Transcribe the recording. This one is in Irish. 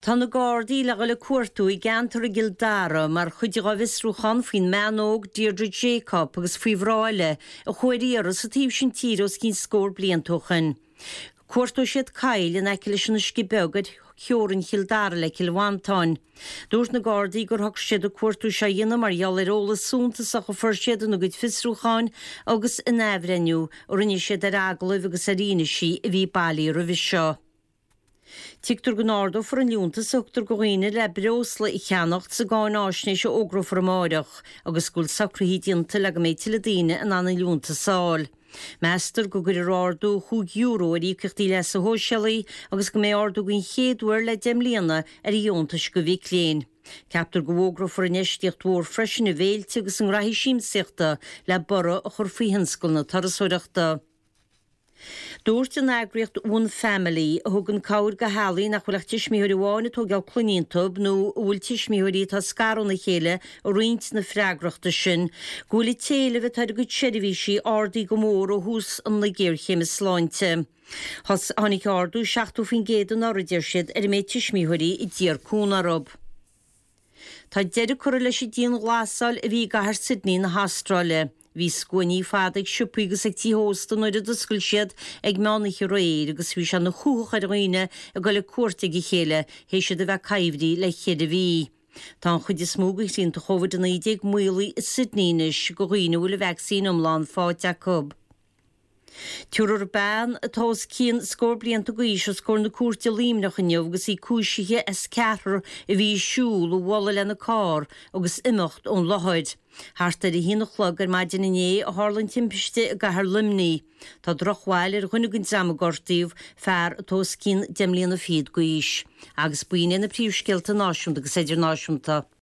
Tá na Gardaí le dhul ag cuartú i gceantar i gCill Dara mar chuid dhá bhfiosrúchán faoin mbean óg Deirdre Jacob agus faoi mhná eile a chuaigh ar iarraidh sa taobh sin tíre os cionn scór blianta ó shoin. Cuartóidh siad coill in aice leis an Uisce Beag ar theorainn Chill Dara le Cill Mhantáin. Dúirt na Gardaí gur shocraigh siad an cuartú seo a dhéanamh mar gheall ar eolas suntasach a fuair siad ina gcuid fiosrúcháin agus in athbhreithniú a rinne siad ar agallaimh agus ar fhianaisí a bhí bailithe roimhe seo. Tuigtear go n-ardófar an liúntas a thugtar go dhaoine le breosla a cheannacht sa gcáináisnéis a fhógrófar amáireach agus go bhfuil socruithe déanta le go mbeidh tuilleadh daoine in ann an liúntas a fháil. Meastar go gcuirfear ardú €5 ar íocaíochtaí leasa shóisialaigh agus go mbeidh ardú den chéad uair le 10 mbliana ar dheontais go mhic léinn. Ceaptar go bhfógrófar infheistíocht mhór freisin i bhféilte agus i ngraithí siamsaíochta le borradh a chur faoi thionscal na turasóireachta. Dúirt an eagraíocht One Family, a thugann cabhair go theaghlaigh nach bhfuil ach tuismitheoir amháin ag tógáil clainne iontu nó a bhfuil tuismitheoirí atá scartha óna chéile ag roinnt na freagrachta sin, go bhfuil an t-éileamh atá ar a gcuid seirbhísí ardaithe go mór ó thús na géarchéime sláinte. Tháinig ardú 70% anuraidh, a deir siad, ar an méid tuismitheoirí a d'iarr cúnamh orthu. Tá deireadh curtha leis an dianghlasáil a bhí i gcathair Sydney na hAstráile. Bhí scuainí fada ag siopaí agus ag tithe ósta nuair a d'oscail siad ag meánoíche aréir agus bhí sé ina chuthach ar dhaoine ag dul ag cuairt ag a chéile théis iad a bheith coimhthí le cheithre mhí. Tá an chuid is mó de shrianta Covid-19 maolaithe i Sydney anois go dhaoine a bhfuil an vacsaín iomlán faighte acu. Tabharfar bean atá os cionn scór blianta d'aois os comhair na cúirte i Luimneach inniu agus í cúisithe as ceathrar a bhí ag siúl a bhualadh lena carr agus imeacht ón láthair. Thart ar a haon a chlog ar maidin inné a tharla an timpiste i gcathair Luimnigh. Tá drochbhail ar dhuine den dream a gortaíodh, fear atá os cionn deich mbliana fichead d'aois. Agus b'in iad na príomhscéalta náisiúnta agus idirnáisiúnta.